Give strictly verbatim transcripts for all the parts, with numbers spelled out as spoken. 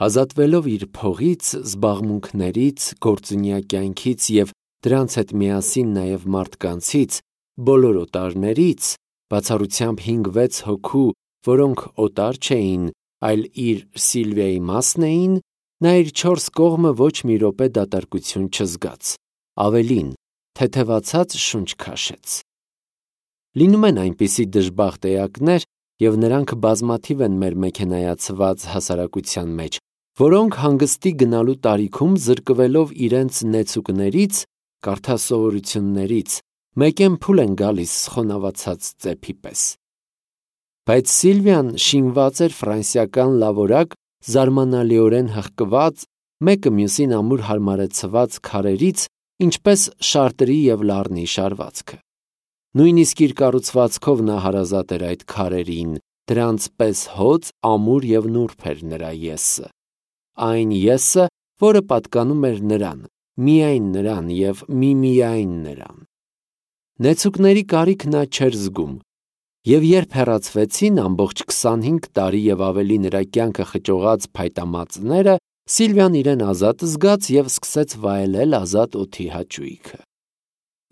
Ազատվելով իր փողից, զբաղմունքներից, գործունյա կյանքից և դրանց հետ միասին նաև մարդկանցից, բոլոր օտարներից, բացառությամբ հինգ-վեց հոգու, որոնք օտար չէին, այլ իր Սիլվիայի մասն էին, նա իր չորս կողմը ոչ մի րոպե դատարկություն չզգաց, ավելին, թեթևացած շունչ քաշեց։ Լինում են այնպիսի դժբախտ էակներ, և նրանք բազմաթիվ են մեր մեքենայացված հասարակության մեջ, որոնք հանգստի գնալու տարիքում զրկվելով իրենց նեցուկներից, կարդա սովորություններից, մեկեն փուլ են գալիս խոնավացած ծեփի պես։ Բայց Սիլվիան շինված էր ֆրանսիական լավորակ, զարմանալիորեն հղկված, մեկը մյուսին ամուր հարմարեցված քարերից, ինչպես շարտրի և լառնի շարվածքը։ Նույնիսկ իր կառուցվածքով նա հարազատ էր այդ քարերին, դրանց պես հոծ, ամուր և նուրբ էր նրա եսը։ Այն եսը, որը պատկանում էր նրան, միայն նրան և միմիայն նրան։ Նեցուկների կարիք նա չէր զգում, և երբ հեռացվեցին ամբողջ քսանհինգ տարի և ավելի նրա կյանքը խճողած փայտամածները, Սիլվիան իրեն ազատ զգաց և սկսեց վայելել ազատ օդի հաճույքը։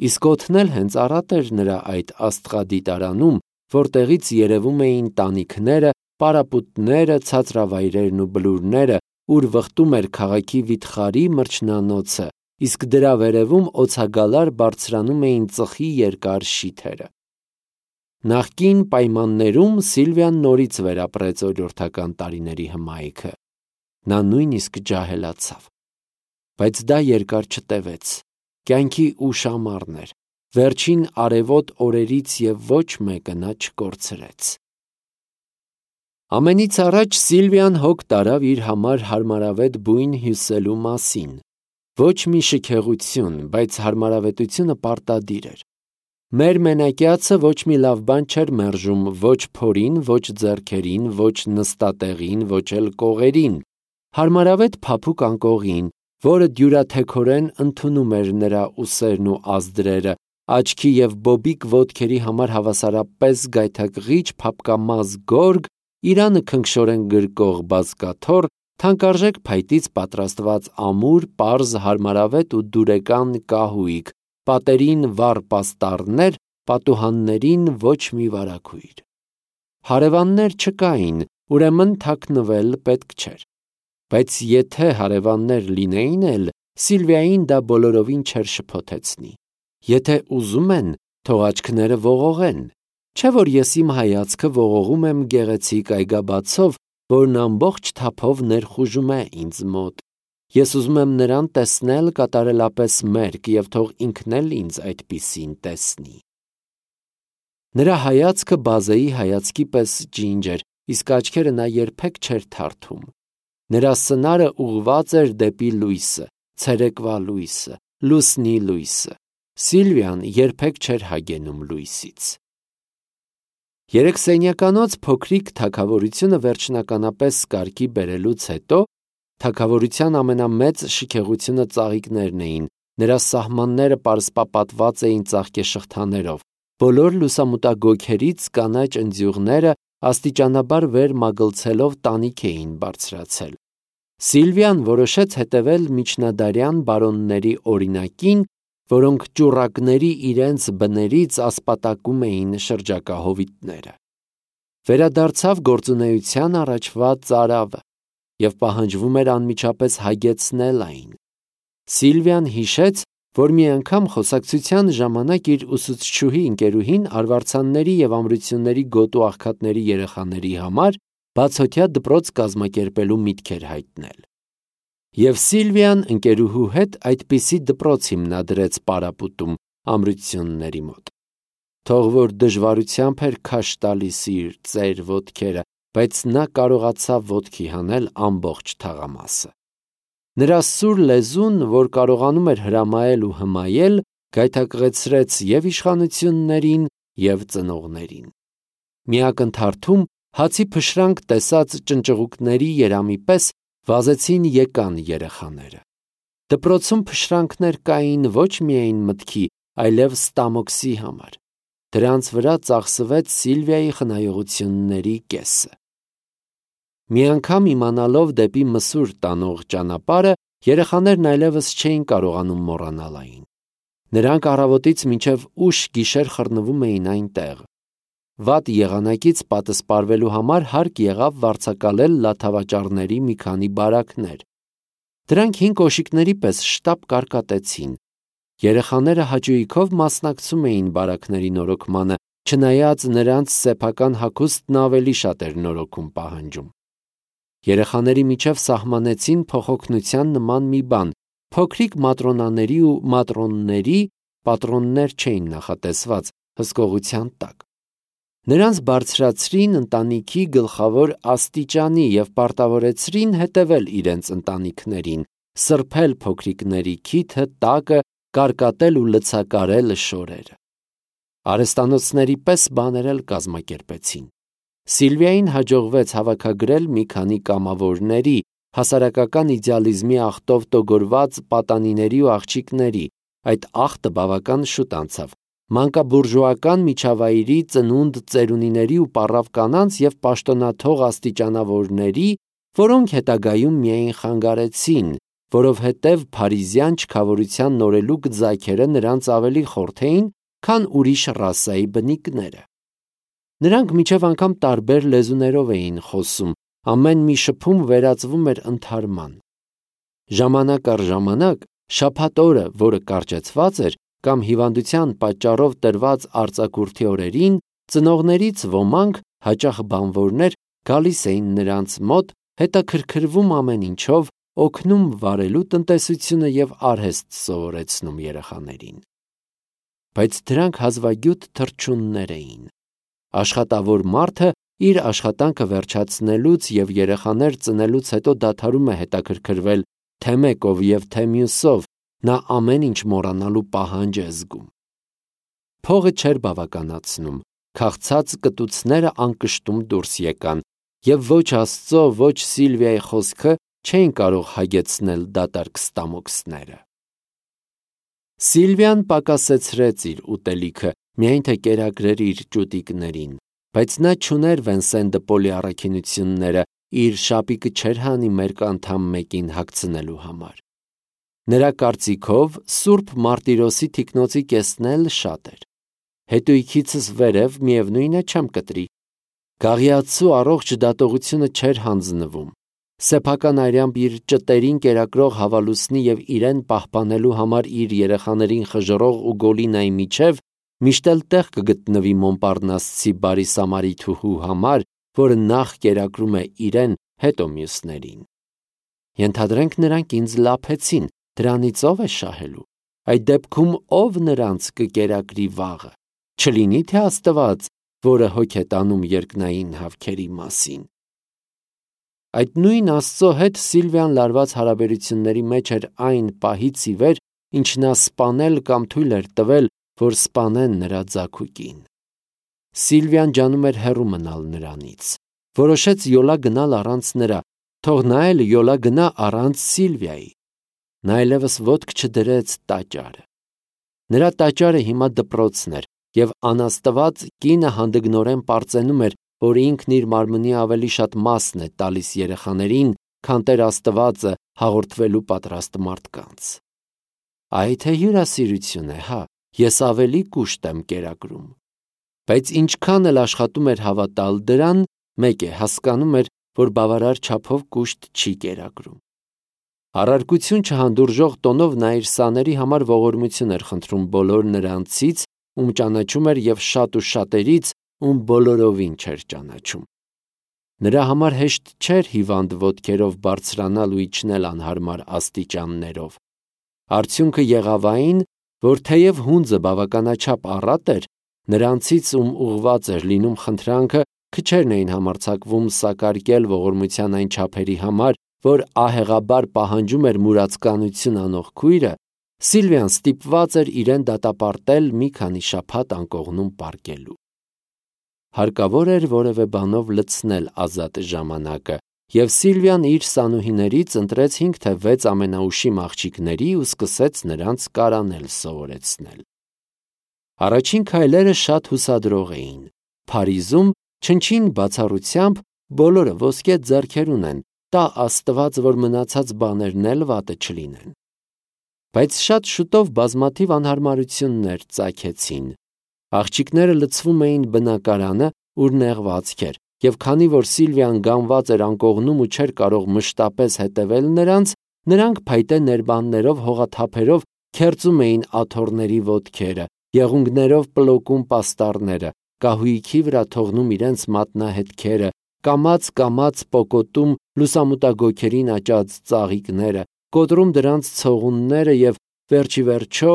Իսկ օդն էլ հենց առատ էր նրա այդ աստղադիտարանում, որտեղից երևում էին տանիքները, պարապուտները, ցածրավայրերն ու բլուրները, ուր վխտում էր քաղաքի վիթխարի մրջնանոցը, իսկ դրա վերևում օձագալար բարձրանում էին ծխի երկար շիթերը։ Նախկին պայմաններում Սիլվիան նորից վերապրեց օրիորդական տարիների հմայքը։ Նա նույնիսկ ջահելացավ։ Բայց դա երկար չտևեց։ Կյանքի ուշ ամառն էր, վերջին արևոտ օրերից և ոչ մեկը նա չկորցրեց։ Ամենից առաջ Սիլվիան հոգ տարավ իր համար հարմարավետ բույն հյուսելու մասին։ Ոչ մի շքեղություն, բայց հարմարավետությունը պարտադիր էր։ Մեր մենակյացը ոչ մի լավ բան չէր մերժում ոչ փորին, ոչ ձեռքերին, ոչ նստատեղին, ոչ էլ կողերին, հարմարավետ փափուկ անկողին, որը դյուրաթեքորեն ընդունում էր նրա ուսերն ու ազդրերը, աչքի և բոբիկ ոտքերի համար հավասարապես գայթակղիչ փափկամազ գորգ, իրանը քնքշորեն գրկող բազկաթոռ, թանկարժեք փայտից պատրաստված ամուր, պարզ, հարմարավետ ու դուրեկան կահույք, պատերին վառ պաստառներ, պատուհաններին ոչ մի վարագույր։ Հարևաններ չկային, ուրեմն թաքնվել պետք չէր։ Բայց եթե հարևաններ լինեին էլ, Սիլվիային դա բոլորովին չէր շփոթեցնի։ Եթե ուզում են, թող աչքները ողողեն, չէ՞ որ ես իմ հայացքը ողողում եմ գեղեցիկ այգաբացով, որն ամբողջ թափով ներխուժում է ինձ մոտ։ Ես ուզում եմ նրան տեսնել կատարելապես մերկ և թող ինքն էլ ինձ այդպիսին տեսնի։ Նրա հայացքը բազեի հայացքի պես ջինջ էր, իսկ աչքերը նա երբեք չէր թարթում։ Նրա սնարը ուղղված էր դեպի լույսը, ցերեկվա լույսը, լուսնի լույսը։ Սիլվիան երբեք չէր հագենում լույսից։ Երեքսենյականոց փոքրիկ թագավորությունը վերջնականապես կարգի բերելուց հետո թագավորության ամենամեծ շքեղությունը ծաղիկներն էին, նրա սահմանները պարսպապատված էին ծաղկեշղթաներով, բոլոր լուսամուտագոգերից կանաչ ընձյուղները աստիճանաբար վեր մագլցելով տանիք էին բարձրացել։ Սիլվիան որոշեց հետևել միջնադարյան բարոնների օրինակին, որոնք ճուռակների իրենց բներից ասպատակում էին շրջակա հովիտները։ Վերադարձավ գործունեության առաջվա ծարավը, և պահանջվում էր անմիջապես հագեցնել այն։ Սիլվիան հիշեց, որ մի անգամ խոսակցության ժամանակ իր ուսուցչուհի ընկերուհին արվարձանների և ամրությունների գոտու աղքատների երեխաների համար բացօթյա դպրոց կազմակերպելու միտք էր հայտնել։ Եվ Սիլվիան ընկերուհու հետ այդպիսի դպրոց հիմնադրեց Պարապուտում, ամրությունների մոտ։ Թող որ դժվարությամբ էր քաշ տալիս իր ծեր ոտքերը, բայց նա կարողացավ ոտքի հանել ամբողջ թաղամասը։ Նրա սուր լեզուն, որ կարողանում էր հրամայել ու հմայել, գայթակղեցրեց և իշխանություններին, և ծնողներին։ Մի ակնթարթում հացի փշրանք տեսած ճնճղուկների երամի պես վազեցին եկան երեխաները։ Դպրոցում փշրանքներ կային ոչ միայն մտքի, այլև ստամոքսի համար։ Դրանց վրա ծախսվեց Սիլվիայի խնայողությունների կեսը։ Մի անգամ իմանալով դեպի մսուր տանող ճանապարհը, երեխաներն այլևս չէին կարողանում մոռանալ այն։ Նրանք առավոտից մինչև ուշ գիշեր խռնվում էին այնտեղ։ Վատ եղանակից պատասպարվելու համար հարկ եղավ վարձակալել լաթավաճառների մի քանի բարակներ։ Դրանք հին կոշիկների պես շտապ կարկատեցին։ Երեխաները հաճույքով մասնակցում էին բարակների նորոգմանը, չնայած նրանց սեփական հագուստն ավելի շատ էր նորոգում պահանջում։ Երեխաների միջև սահմանեցին փոխօգնության նման մի բան։ Փոքրիկ մատրոնաների ու մատրոնների պատրոններ չէին նախատեսված հսկողության տակ։ Նրանց բարձրացրին ընտանիքի գլխավոր աստիճանի և պարտավորեցրին հետևել իրենց ընտանիքներին, սրբել փոքրիկների քիթը, տակը, կարկատել ու լցակարել շորերը։ Արհեստանոցների պես բաներ էլ կազմակերպեցին։ Սիլվիային հաջողվեց հավաքագրել մի քանի կամավորների, հասարակական իդեալիզմի աղտով տոգորված պատանիների ու աղջիկների, այդ աղտը բավական շուտ անցավ, մանկաբուրժուական միջավայրի ծնունդ ծերունիների ու պառավ կանանց և պաշտոնաթող աստիճանավորների, որոնք հետագայում միայն խանգարեցին, որովհետև փարիզյան չքավորության նորելուկ ձագերը նրանց ավելի խորթ էին, քան ուրիշ ռասայի բնիկները։ Նրանք մինչև անգամ տարբեր լեզուներով էին խոսում, ամեն մի շփում վերածվում էր ընդհարման։ Ժամանակ առ ժամանակ, շաբաթ օրը, որը կարճեցված էր, կամ հիվանդության պատճառով տրված արձակուրդի օրերին, ծնողներից ոմանք, հաճախ բանվորներ, գալիս էին նրանց մոտ, հետաքրքրվում ամեն ինչով, օգնում վարելու տնտեսությունը և արհեստ սովորեցնում երեխաներին։ Բայց դրանք հազվագյուտ թռչուններ էին։ Աշխատավոր մարդը իր աշխատանքը վերջացնելուց և երեխաներ ծնելուց հետո դադարում է հետաքրքրվել թե մեկով և թե մյուսով, նա ամեն ինչ մոռանալու պահանջ է զգում։ Փողը չէր բավականացնում, քաղցած կտուցները անկշտում դուրս եկան, և ոչ Աստծո, ոչ Սիլվիայի խոսքը չէին կարող հագեցնել դատարկ ստամոքսները։ Սիլվիան պակասեցրեց իր ուտելիքը, միայն թե կերակրեր իր ճուտիկներին, բայց նա չուներ Վենսեն դը Պոլի առաքինությունները, իր շապիկը չէր հանի մերկ անդամ մեկին հագցնելու համար։ Նրա կարծիքով Սուրբ Մարտիրոսի թիկնոցի կեսն էլ շատ էր։ Հետույքիցս վերև միևնույն է չեմ կտրի։ Գաղիացու առողջ դատողությունը չէր հանձնվում։ Սեփական այրամբ իր ճտերին կերակրող հավալուսնի և իրեն պահպանելու համար իր երեխաներին խժռող ու գոլինայի միջև միշտ էլ տեղ կգտնվի Մոնպարնասցի բարի սամարիթուհու համար, որը նախ կերակրում է իրեն, հետո մյուսներին։ Ենթադրենք նրանք ինձ լափեցին, դրանից ո՞վ է շահելու։ Այդ դեպքում ո՞վ նրանց կկերակրի վաղը։ Չլինի թե Աստված, որը հոգ է տանում երկնային հավքերի մասին։ Այդ նույն Աստծո հետ Սիլվիան լարված հարաբերությունների մեջ էր այն պահից ի վեր, ինչ նա սպանել կամ թույլ էր տվել, որ սպանեն նրա ձագուկին։ Սիլվիան ջանում էր հեռու մնալ նրանից։ Որոշեց յոլա գնալ առանց նրա, թող նա էլ յոլա գնա առանց Սիլվիայի։ Նա այլևս ոտք չդրեց տաճարը։ Նրա տաճարը հիմա դպրոցն էր, և անաստված կինը հանդգնորեն պարծենում էր, որ ինքն իր մարմնի ավելի շատ մասն է տալիս երեխաներին, քան Տեր Աստվածը հաղորդվելու պատրաստ մարդկանց։ Այ թե հյուրասիրություն է, հա, ես ավելի կուշտ եմ կերակրում։ Բայց ինչքան էլ աշխատում էր հավատալ դրան, մեկ է հասկանում էր, որ բավարար չափով կուշտ չի կերակրում։ Առարկություն չհանդուրժող տոնով նա իր սաների համար ողորմություն էր խնդրում բոլոր նրանցից, ում ճանաչում էր, և շատ ու շատերից, ում բոլորովին չէր ճանաչում։ Նրա համար հեշտ չէր հիվանդ ոտքերով բարձրանալ ու իջնել անհարմար աստիճաններով։ Արդյունքը եղավ այն, որ թեև հունձը բավականաչափ առատ էր, նրանցից, ում ուղված էր լինում խնդրանքը, քչերն էին համարձակվում սակարկել ողորմության այն չափերի համար, որ ահեղաբար պահանջում էր մուրացկանություն անող քույրը, Սիլվիան ստիպված էր իրեն դատապարտել մի քանի շաբաթ անկողնում պառկելու։ Հարկավոր էր որևէ բանով լցնել ազատ ժամանակը, և Սիլվիան իր սանուհիներից ընտրեց հինգ թե վեց ամենաուշիմ աղջիկների ու սկսեց նրանց կարանել սովորեցնել։ Առաջին քայլերը շատ հուսադրող էին։ Փարիզում չնչին բացառությամբ բոլորը ոսկե ձեռքեր ունեն, տա Աստված, որ մնացած բաներն էլ վատը չլինեն։ Բայց շատ շուտով բազմաթիվ անհարմարություններ ծագեցին։ Աղջիկները լցվում էին բնակարանը, ուր նեղվածք էր, եւ քանի որ Սիլվիան գանված էր անկողնում ու չէր կարող մշտապես հետևել նրանց, նրանք փայտե ներբաններով, հողաթափերով քերծում էին աթոռների ոտքերը, եղունգներով պլոկում պաստառները, կահույքի վրա թողնում իրենց մատնահետքերը, կամաց-կամաց պոկոտում լուսամուտագոքերին աճած ծաղիկները, կոտրում դրանց ցողունները եւ վերջի վերջո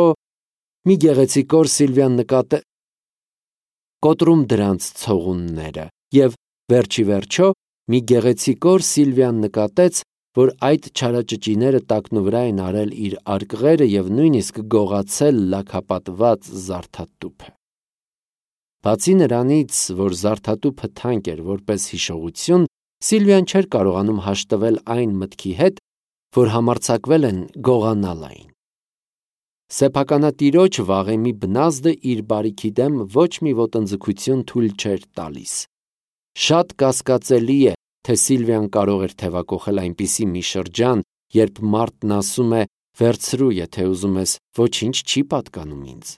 մի գեղեցիկոր Սիլվիան նկատե կոտրում դրանց ցողունները եւ վերջի վերջո մի գեղեցիկոր Սիլվիան նկատեց, որ այդ չարաճճիները տակնուվրա են արել իր արկղերը եւ նույնիսկ գողացել լաքապատված զարդատուփը։ Բացի նրանից, որ զարդատուփը թանկ էր որպես հիշողություն, Սիլվիան չէր կարողանում հաշտվել այն մտքի հետ, որ համարձակվել են գողանալ այն։ Սեփականատիրոջ վաղեմի բնազդը իր բարիքի դեմ ոչ մի ոտնձգություն թույլ չէր տալիս։ Շատ կասկածելի է, թե Սիլվիան կարող էր թևակողել այնպիսի մի շրջան, երբ մարդն ասում է «վերցրու, եթե ուզում ես, ոչինչ չի պատկանում ինձ»։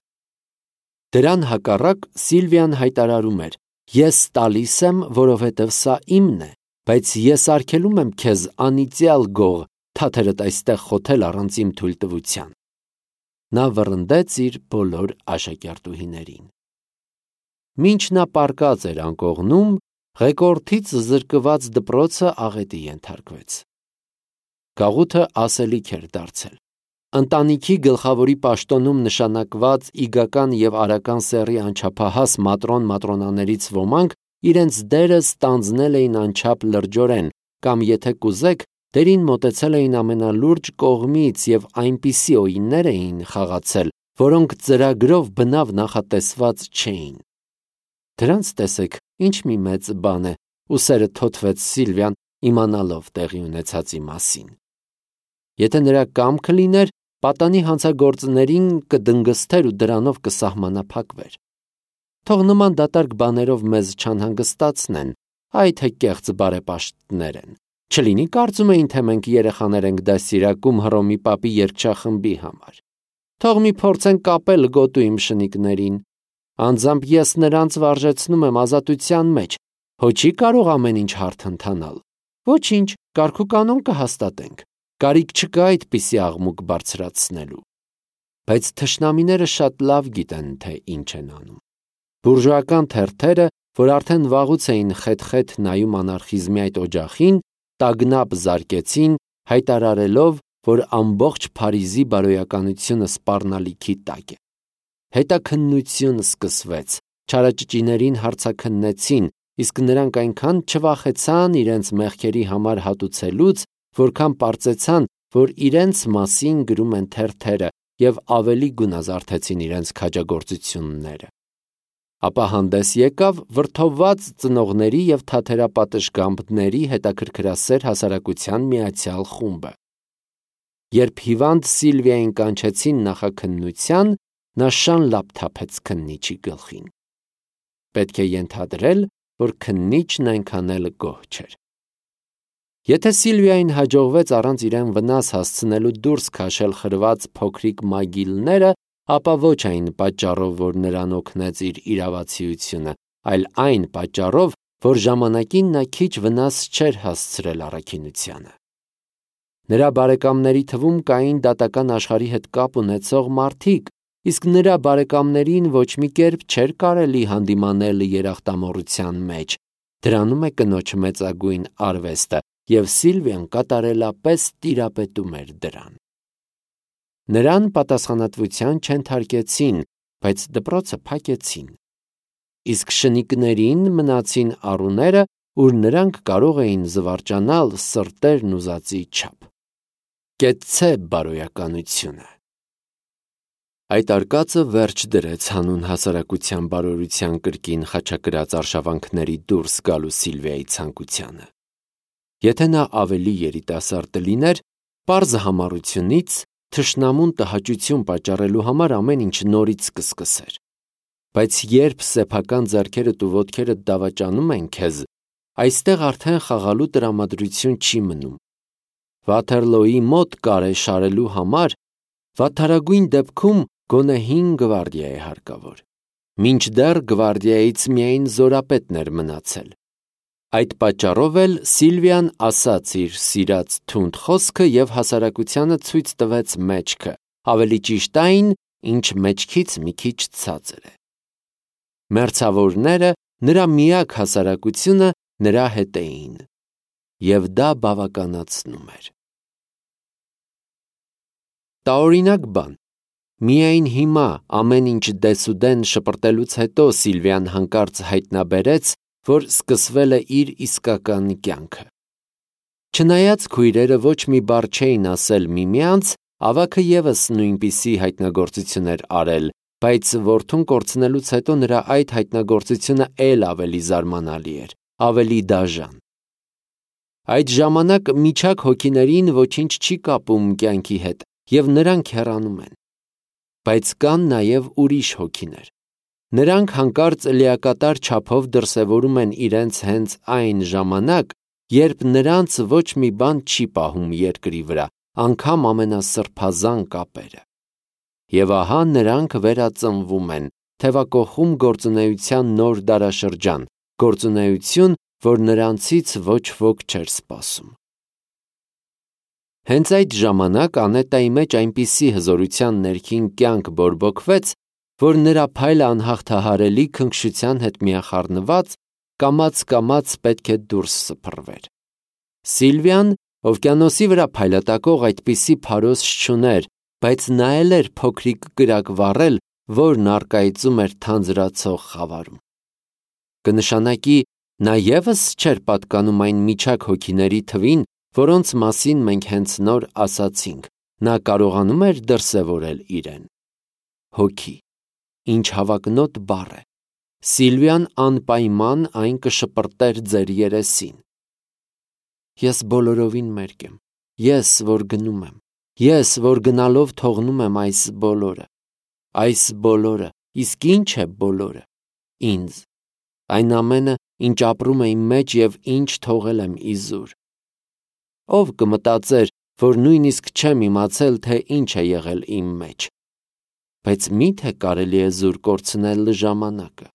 Դրան հակառակ Սիլվիան հայտարարում էր. «Ես տալիս եմ, որովհետև սա իմն է, բայց ես արգելում եմ քեզ անիծյալ գող, թաթերդ այստեղ խոթել առանց իմ թույլտվության»։ Նա վռնդեց իր բոլոր աշակերտուհիներին։ Մինչ նա պառկած էր անկողնում, ղեկորդից զրկված դպրոցը աղետի ենթարկվեց։ Գաղութը ասելիք էր դարձել։ Ընտանիքի գլխավորի պաշտոնում նշանակված իգական եւ արական սեռի անչափահաս մատրոն-մատրոնաներից ոմանք իրենց դերը ստանձնել էին անչափ լրջորեն, կամ եթե կուզեք, դերին մոտեցել էին ամենալուրջ կողմից եւ այնպիսի օիններ էին խաղացել, որոնք ծրագրով բնավ նախատեսված չէին։ Դրանց տեսեք, ինչ մի մեծ բան է, ուսերը թոթվեց Սիլվիան, իմանալով տեղի ունեցածի մասին։ Եթե նրա կամքը լիներ, պատանի հանցագործներին կդնգստեր ու դրանով կսահմանափակվեր։ Թող նման դատարկ բաներով մեզ չանհանգստացնեն, այ թե կեղծ բարեպաշտներ են։ Չլինի կարծում էին, թե մենք երեխաներ ենք դաստիարակում Հռոմի պապի երգչախմբի համար։ Թող մի փորձեն կապել գոտու իմ շնիկներին։ Անձամբ ես նրանց վարժեցնում եմ ազատության մեջ, հո չի կարող ամեն ինչ հարթ ընթանալ։ Ոչինչ, կարգուկանոն կհաստատենք։ Կարիք չկա այդպիսի աղմուկ բարձրացնելու։ Բայց թշնամիները շատ լավ գիտեն, թե ինչ են անում։ Բուրժուական թերթերը, որ արդեն վաղուց էին խետ-խետ նայում անարխիզմի այդ օջախին, տագնապ զարկեցին, հայտարարելով, որ ամբողջ Փարիզի բարոյականությունը սպառնալիքի տակ է։ Հետաքննություն սկսվեց, չարաճճիներին հարցաքննեցին, իսկ նրանք այնքան չվախեցան իրենց մեղքերի համար հատուցելուց, որքան պարծեցան, որ իրենց մասին գրում են թերթերը եւ ավելի գունազարդեցին իրենց քաջագործությունները։ Ապա հանդես եկավ վրդովված ծնողների եւ թաթերապատշգամբների հետաքրքրասեր հասարակության միացյալ խումբը։ Երբ հիվանդ Սիլվիային կանչեցին նախաքննության, նա շան լապ թափեց քննիչի գլխին։ Պետք է ենթադրել, որ քննիչն այնքան էլ գոհ չէր։ Եթե Սիլվիային հաջողվեց առանց իրեն վնաս հասցնելու դուրս քաշել խրված փոքրիկ մագիլները, ապա ոչ այն պատճառով, որ նրան օգնեց իր իրավացիությունը, այլ այն պատճառով, որ ժամանակին նա քիչ վնաս չէր հասցրել առաքինությանը։ Նրա բարեկամների թվում կային դատական աշխարհի հետ կապ ունեցող մարդիկ, իսկ նրա բարեկամներին ոչ մի կերպ չէր կարելի հանդիմանել երախտամոռության մեջ։ Դրանում է կնոջ մեծագույն արվեստը, եւ Սիլվիան կատարելապես տիրապետում էր դրան։ Նրան պատասխանատվության չենթարկեցին, բայց դպրոցը փակեցին։ Իսկ շնիկներին մնացին առուները, ուր նրանք կարող էին զվարճանալ սրտերն ուզածի չափ։ Կեցցե բարոյականությունը։ Այդ արկածը վերջ դրեց հանուն հասարակության բարօրության կրկին խաչակրած արշավանքների դուրս գալու Սիլվիայի ցանկությանը։ Եթե նա ավելի երիտասարդ լիներ, պարզ համառությունից թշնամուն տհաճություն պատճառելու համար ամեն ինչ նորից կսկսեր։ Բայց երբ սեփական ձեռքերդ ու ոտքերդ դավաճանում են քեզ, այստեղ արդեն խաղալու տրամադրություն չի մնում։ Վաթերլոյի մոտ կարե շարելու համար վատթարագույն դեպքում գոնե հինգ գվարդիա է հարկավոր, մինչդեռ գվարդիայից միայն զորապետն էր մնացել։ Այդ պատճառով էլ Սիլվիան ասաց իր սիրած թունդ խոսքը և հասարակությանը ցույց տվեց մեջքը, ավելի ճիշտ այն, ինչ մեջքից մի քիչ ցածր է։ Մերձավորները, նրա միակ հասարակությունը, նրա հետ էին, և դա բավականացնում էր։ Տարօրինակ բան։ Միայն հիմա, ամեն ինչ դեսուդեն շպրտելուց հետո Սիլվիան հանկարծ հայտնաբերեց, որ սկսվել է իր իսկական կյանքը։ Չնայած քույրերը ոչ մի բառ չէին ասել միմյանց, ավագը ևս նույնպիսի հայտնագործություն էր արել, բայց որդուն կորցնելուց հետո նրա այդ հայտնագործությունը էլ ավելի զարմանալի էր, ավելի դաժան։ Այդ ժամանակ միջակ հոգիներին ոչինչ չի կապում կյանքի հետ, և նրանք հեռանում են։ Բայց կան նաև ուրիշ հոգիներ։ Նրանք հանկարծ լիակատար չափով դրսևորում են իրենց հենց այն ժամանակ, երբ նրանց ոչ մի բան չի պահում երկրի վրա, անգամ ամենասրբազան կապերը։ Եվ ահա նրանք վերածնվում են, թևակոխում գործունեության նոր դարաշրջան, գործունեություն, որ նրանցից ոչ ոք չէր սպասում։ Հենց այդ ժամանակ Անետայի մեջ այնպիսի հզորության ներքին կյանք բորբոքվեց, որ նրա փայլը անհաղթահարելի քնքշության հետ միախառնված կամաց-կամաց պետք է դուրս սփռվեր։ Սիլվիան օվկիանոսի վրա փայլատակող այդպիսի փարոս չուներ, բայց նա էլ էր փոքրիկ կրակ վառել, որն առկայծում էր թանձրացող խավարում։ Կնշանակի, նա ևս չէր պատկանում այն միջակ հոգիների թվին, որոնց մասին մենք հենց նոր ասացինք, նա կարողանում էր դրսևորել իրեն։ Հոգի, ինչ հավակնոտ բառ է։ Սիլվիան անպայման այն կշպրտեր ձեր երեսին։ Ես բոլորովին մերկ եմ, ես, որ գնում եմ, ես, որ գնալով թողնում եմ այս բոլորը, այս բոլորը, իսկ ինչ է բոլորը, ինձ, այն ամենը, ինչ ապրում է իմ մեջ և ինչ թողել եմ իզուր։ Ով կմտածեր, որ նույնիսկ չեմ իմացել, թե ինչ է եղել իմ մեջ։ Բայց միթե կարելի է զուր կորցնել ժամանակը։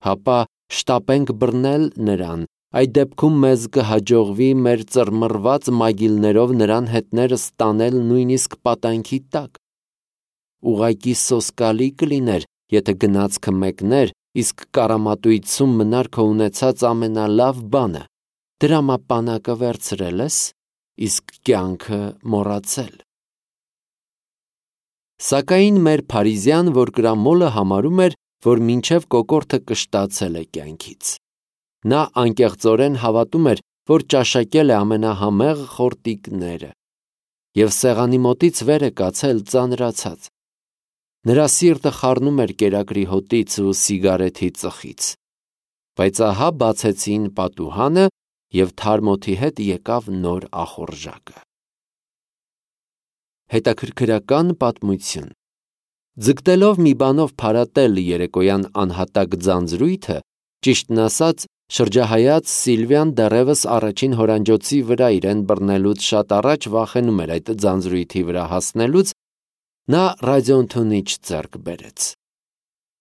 Հապա շտապենք բռնել նրան, այդ դեպքում մեզ կհաջողվի մեր ծռմռված մագիլներով նրան հետներս տանել նույնիսկ պատանքի տակ։ Ուղղակի սոսկալի կլիներ, եթե գնացքը մեկներ, իսկ կառամատույցում մնար քո ունեցած ամենալավ բանը, դրամապանակը վերցրել ես, իսկ կյանքը մոռացել։ Սակայն մեր Փարիզյան որկրամոլը համարում էր, որ մինչև կոկորդը կշտացել է կյանքից։ Նա անկեղծորեն հավատում էր, որ ճաշակել է ամենահամեղ խորտիկները, և սեղանի մոտից վեր է կացել ծանրացած։ Նրա սիրտը խառնում էր կերակրի հոտից ու սիգարեթի ծխից։ Բայց ահա բացեցին պատուհանը, և թարմ օդի հետ եկավ նոր ախորժակը։ Հետաքրքրական պատմություն։ Ձգտելով մի բանով փարատել երեկոյան անհատակ ձանձրույթը, ճիշտն ասած, շրջահայաց Սիլվիան դեռևս առաջին հորանջոցի վրա իրեն բռնելուց շատ առաջ վախենում էր այդ ձանձրույթի վրա հասնելուց, նա ռադիոընդունիչ ձեռք բերեց։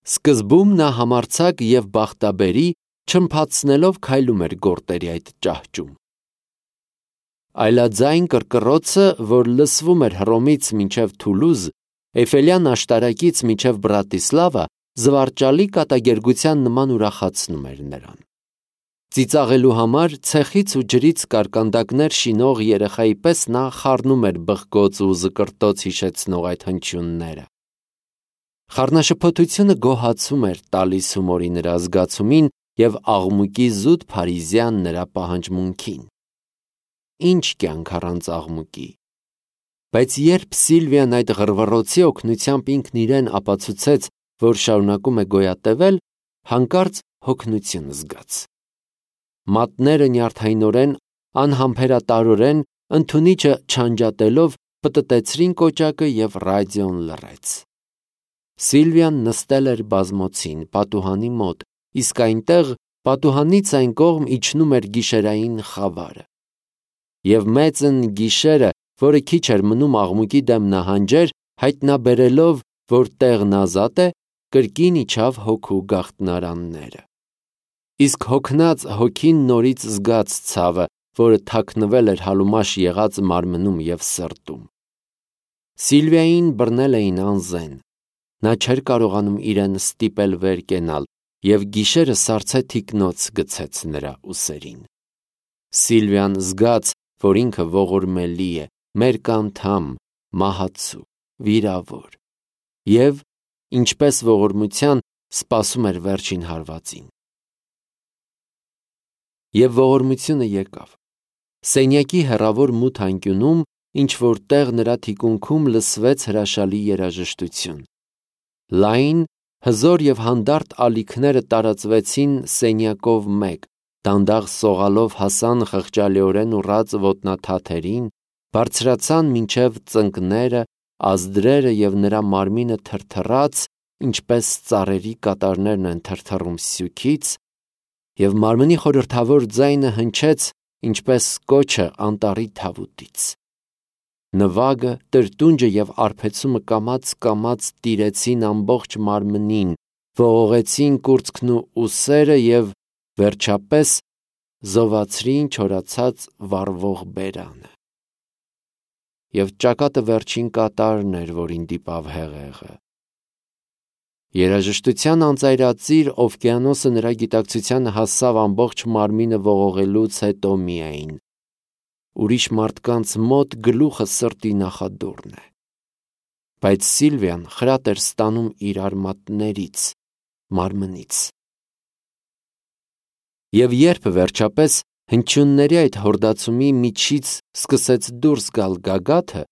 Սկզբում նա համարձակ և բախտաբերի, չմփացնելով քայլում էր գորտերի այդ ճահճում։ Այլաձայն կռկռոցը, որ լսվում էր Հռոմից մինչև Թուլուզ, Էյֆելյան աշտարակից մինչև Բրատիսլավա, զվարճալի կատակերգության նման ուրախացնում էր նրան։ Ծիծաղելու համար ցեխից ու ջրից կարկանդակներ շինող երեխայի պես նա խառնում էր բխկոց ու զկրտոց հիշեցնող այդ հնչյունները։ Խառնաշփոթությունը գոհացում էր տալիս հումորի նրա զգացումին և աղմուկի զուտ փարիզյան նրա պահանջմունքին։ Ինչ կյանք առանց աղմուկի։ Բայց երբ Սիլվիան այդ ղռվռոցի օգնությամբ ինքն իրեն ապացուցեց, որ շարունակում է գոյատևել, հանկարծ հոգնություն զգաց։ Մատները նյարդայնորեն, անհամբերատարորեն, ընդունիչը չանջատելով պտտեցրին կոճակը և ռադիոն լռեց։ Սիլվիան նստել էր բազմոցին, պատուհանի մոտ, իսկ այնտեղ, պատուհանից այն կողմ իջնում էր գիշերային խավարը։ Եվ մեծն գիշերը, որը քիչ էր մնում աղմուկի դեմ նահանջեր, հայտնաբերելով, որ տեղն ազատ է, կրկին իջավ հոգու գաղտնարանները։ Իսկ հոգնած հոգին նորից զգաց ցավը, որը թաքնվել էր հալումաշ եղած մարմնում և սրտում։ Սիլվիային բռնել էին անզեն։ Նա չէր կարողանում իրեն ստիպել վեր կենալ, և գիշերը սառցե թիկնոց գցեց նրա ուսերին։ Սիլվիան զգաց, որ ինքը ողորմելի է, մերկանդամ, մահացու, վիրավոր, և, ինչպես ողորմության, սպասում էր վերջին հարվածին։ Եվ ողորմությունը եկավ։ Սենյակի հեռավոր մութ անկյունում, ինչ-որ տեղ նրա թիկունքում լսվեց հրաշալի երաժշտություն։ Լայն, հզոր և հանդարտ ալիքները տարածվեցին սենյակով մեկ, դանդաղ սողալով հասան խղճալիորեն ուռած ոտնաթաթերին, բարձրացան մինչև ծնկները, ազդրերը և նրա մարմինը թրթռաց, ինչպես ծառերի կատարներն են թրթռում սյուքից, և մարմնի խորհրդավոր ձայնը հնչեց, ինչպես կոչը անտառի թավուտից։ Նվագը, տրտունջը և արբեցումը կամաց-կամաց տիրեցին ամբողջ մարմնին, ողողեցին կուրծքն ու ուսերը և, վերջապես, զովացրին չորացած վառվող բերանը։ Եվ ճակատը վերջին կատարն էր, որին դիպավ հեղեղը։ Երաժշտության անծայրածիր օվկիանոսը նրա գիտակցությանը հասավ ամբողջ մարմինը ողողելուց հետո միայն։ Ուրիշ մարդկանց մոտ գլուխը սրտի նախադուռն է։ Բայց Սիլվիան խրատ էր ստանում իր արմատներից, մարմնից։ Եվ երբ վերջապես հնչյունների այդ հորդացումի միջից սկսեց դուրս գալ գագաթը,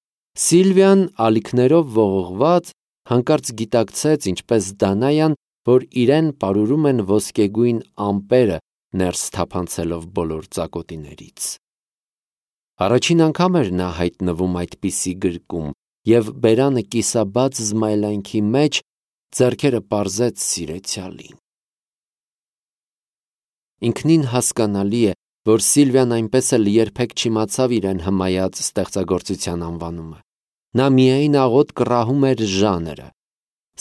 Սիլվիան ալիքներով ողողված հանկարծ գիտակցեց, ինչպես Դանայան, որ իրեն պարուրում են ոսկեգույն ամպերը, ներս թափանցելով բոլոր ծակոտիներից։ Առաջին անգամ էր նա հայտնվում այդպիսի գրկում, և բերանը կիսաբաց զմայլանքի մեջ ձեռքերը պարզեց սիրեցյալին։ Ինքնին հասկանալի է, որ Սիլվիան այնպես էլ երբեք չիմացավ իրեն հմայած ստեղծագործության անվանումը։ Նա միայն աղոտ կռահում էր ժանրը։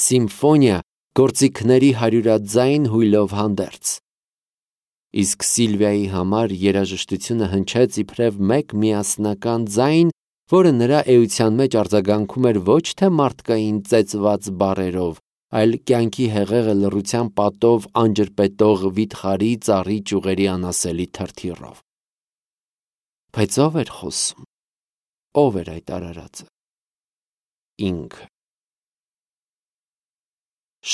Սիմֆոնիա, գործիքների հարյուրաձայն հույլով հանդերձ։ Իսկ Սիլվիայի համար երաժշտությունը հնչեց իբրև մեկ միասնական ձայն, որը նրա էության մեջ արձագանքում էր ոչ թե մարդկային ծեծված բառերով, այլ կյանքի հեղեղը լռության պատով անջրպետող վիթխարի ծառի ճյուղերի անասելի թրթիռով։ Բայց ո՞վ էր խոսում։ Ո՞վ էր այդ արարածը։ Ինքը։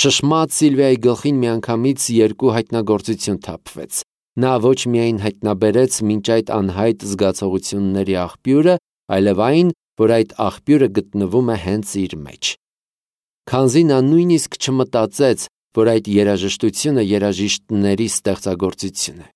Շշմած Սիլվիայի գլխին միանգամից երկու հայտնագործություն թափվեց։ Նա ոչ միայն հայտնաբերեց մինչ այդ անհայտ զգացողությունների աղբյուրը, այլև այն, որ այդ աղբյուրը գտնվում է հենց իր մեջ։ Քանզի նա նույնիսկ չմտածեց, որ այդ երաժշտությունը երաժիշտների ստեղծագործություն է։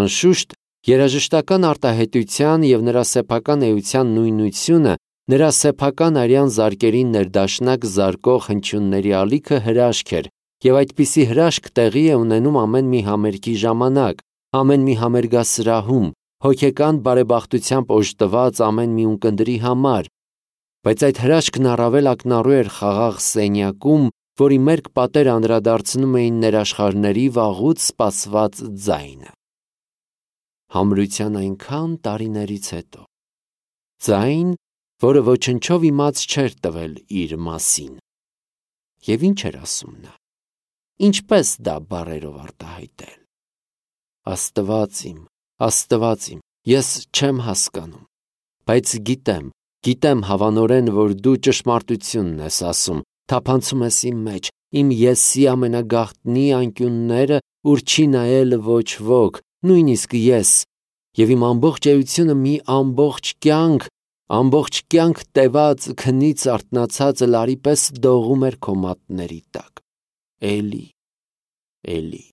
Անշուշտ, երաժշտական արտահայտության և նրա սեփական էության նույնությունը, նրա սեփական արյան զարկերին ներդաշնակ զարկող հնչյունների ալիքը հրաշք էր, և այդպիսի հրաշք տեղի է ունենում ամեն մի համերգի ժամանակ, ամեն մի համերգասրահում, հոգեկան բարեբախտությամբ օժտված ամեն մի ունկնդրի համար, բայց այդ հրաշքն առավել ակնառու էր խաղաղ սենյակում, որի մերկ պատերը անդրադարձնում էին ներաշխարհների վաղուց սպասված ձայնը։ Համրության այնքան տարիներից հետո։ Ձայն, որը ոչնչով իմաց չէր տվել իր մասին։ Եվ ինչ էր ասում նա։ Ինչպես դա բառերով արտահայտել։ Աստված իմ, Աստված իմ, ես չեմ հասկանում, բայց գիտեմ, գիտեմ հավանորեն, որ դու ճշմարտությունն ես ասում, թափանցում ես իմ մեջ, իմ եսի ամենագաղտնի անկյունները, ուր չի նայել ոչ ոք, նույնիսկ ես, և իմ ամբողջ էությունը մի ամբողջ կյանք, ամբողջ կյանք տեված քնից արթնացած լարի պես դողում էր քո մատների տակ։ Էլի, էլի։